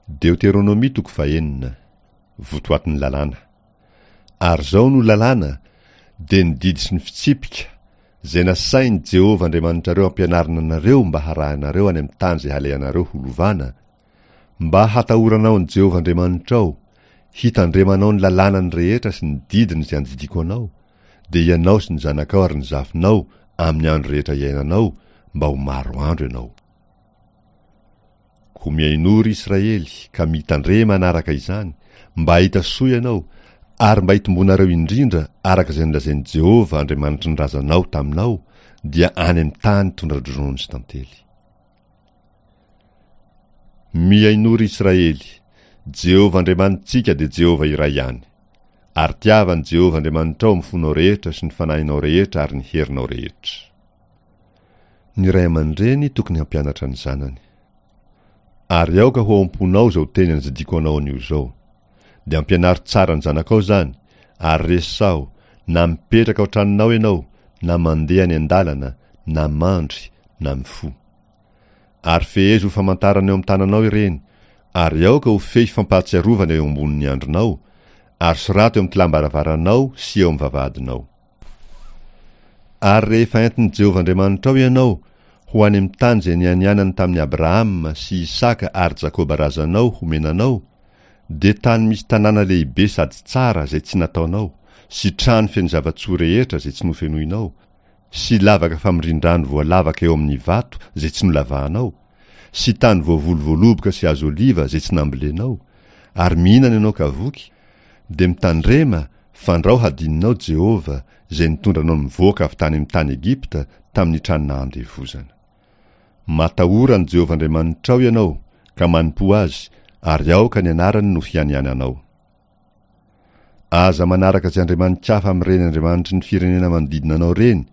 Deoteronomia toko fahenina. Votoatin'ny lalàna. Ary izao no lalàna, dia ny didy sy ny fitsipika, izay nasain'i Jehovah Andriamanitrareo ampianarina anareo mba harahinareo any amin'ny tany izay halehanareo holovana, mba hatahoranao an'i Jehovah Andriamanitrao, hitandremanao ny lalànany rehetra sy ny didiny izay andidiako anao, dia ianao sy ny zanakao ary ny zafinao amin'ny andro rehetra iainanao, mba ho maro andro ianao. Koa mihainoa, ry Israely, ka mitandrema hanaraka izany, mba hahita soa ianao, ary mba hitomboanareo indrindra araka izay nolazain'i Jehovah Andriamanitry ny razanao taminao, dia any amin'ny tany tondra-dronono sy tantely. Mihainoa, ry Israely, Jehovah Andriamanitsika dia Jehovah iray ihany. Ary tiava an'i Jehovah Andriamanitrao amin'ny fonao rehetra sy ny fanahinao rehetra ary ny herinao rehetra. Ny ray aman-dreny tokony hampianatra ny zanany. Ary aoka ho ao am-ponao izao teny andidiako anao anio izao. Dia ampianaro tsara ny zanakao izany, ary resaho, na mipetraka ao an-tranonao ianao, na mandeha any an-dalana, na mandry, na mifoha. Ary fehezo ho famantarana eo amin'ny tananao ireny, ary aoka ho fehy fampahatsiarovana eo ambonin'ny andronao, ary soraty eo amin'ny tilam-baravaranao sy eo amin'ny vavahadinao. Ary rehefa entin'i Jehovah Andriamanitrao ianao ho any amin'ny tany izay nianianany tamin'i Abrahama sy Isaka ary Jakoba razanao homena anao, dia tany misy tanàna lehibe sady tsara izay tsy nataonao, sy trano feno zava-tsoa rehetra izay tsy nofenoinao, sy lavaka famindrin-drano voalavaka eo amin'ny vato izay tsy nolavahanao, sy tany voavoly voaloboka sy hazo oliva izay tsy nambolenao, ary mihinana ianao ka voky, dia mitandrema fandrao hadinonao Jehovah izay nitondra anao nivoaka avy tany amin'ny tany Egypta tamin'ny trano nahandevozana. Matahora an'i Jehovah Andriamanitrao ianao ka manompoa azy, ary aoka ny anarany no hianiananao. Aza manaraka izay andriamani-kafa amin'ireny andriamanitry ny firenena manodidina anao ireny,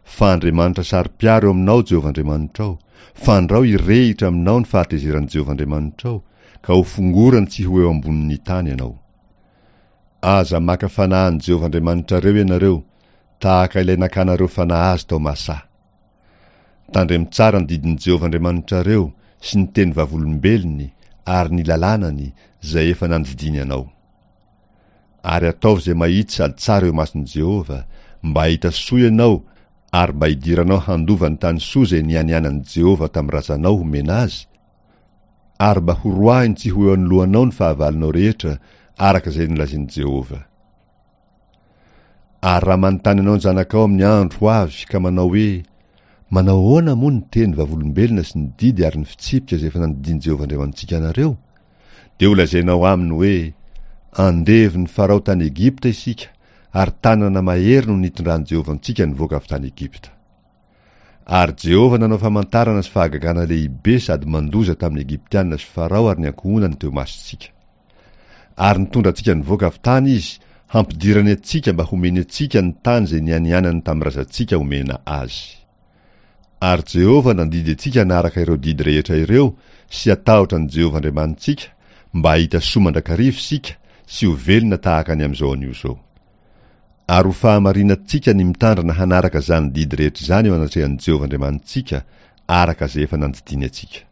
fa Andriamanitra saro-piaro eo aminao Jehovah Andriamanitrao, fandrao hirehitra aminao ny fahatezeran'i Jehovah Andriamanitrao, ka hofongorany tsy ho eo ambonin'ny tany ianao. Aza maka fanahy an'i Jehovah Andriamanitrareo ianareo, tahaka ilay nakanareo fanahy azy tao Masà. Tandremo tsara ny didin'i Jehovah Andriamanitrareo sy ny teny vavolombelony ary ny lalànany izay efa nandidiany anao. Ary ataovy izay mahitsy sady tsara eo imason'i Jehovah, mba hahita soa ianao ary mba hidiranao handova ny tany soa izay nianianan'i Jehovah tamin'ny razanao homena azy, ary mba horoahiny tsy ho eo anoloanao ny fahavalonao rehetra, araka izay nolazain'i Jehovah. Ary raha manontany anao ny zanakao amin'ny andro ho avy ka manao hoe, Manao ahoana moa ny teny vavolombelona sy ny didy ary ny fitsipika izay efa nandidian'i Jehovah Andriamanitsika anareo? Dia holazainao aminy hoe, Andevon'i Farao tany Egypta isika, ary tanana mahery no nitondran'i Jehovah antsika nivoaka avy tany Egypta. Ary Jehovah nanao famantarana sy fahagagana lehibe sady mandoza tamin'ny Egyptiana sy Farao ary ny ankohonany teo imasontsika. Ary nitondra antsika nivoaka avy tany Izy, hampidirany antsika mba homeny antsika ny tany izay nianianany tamin'ny razantsika homena azy. Ary Jehovah nandidy antsika hanaraka ireo didy rehetra ireo sy hatahotra an'i Jehovah Andriamanitsika, mba hahita soa mandrakariva isika sy ho velona tahaka ny amin'izao anio izao. Ary ho fahamarinantsika ny mitandrina hanaraka izany didy rehetra izany eo anatrehan'i Jehovah Andriamanitsika, araka izay efa nandidiany antsika.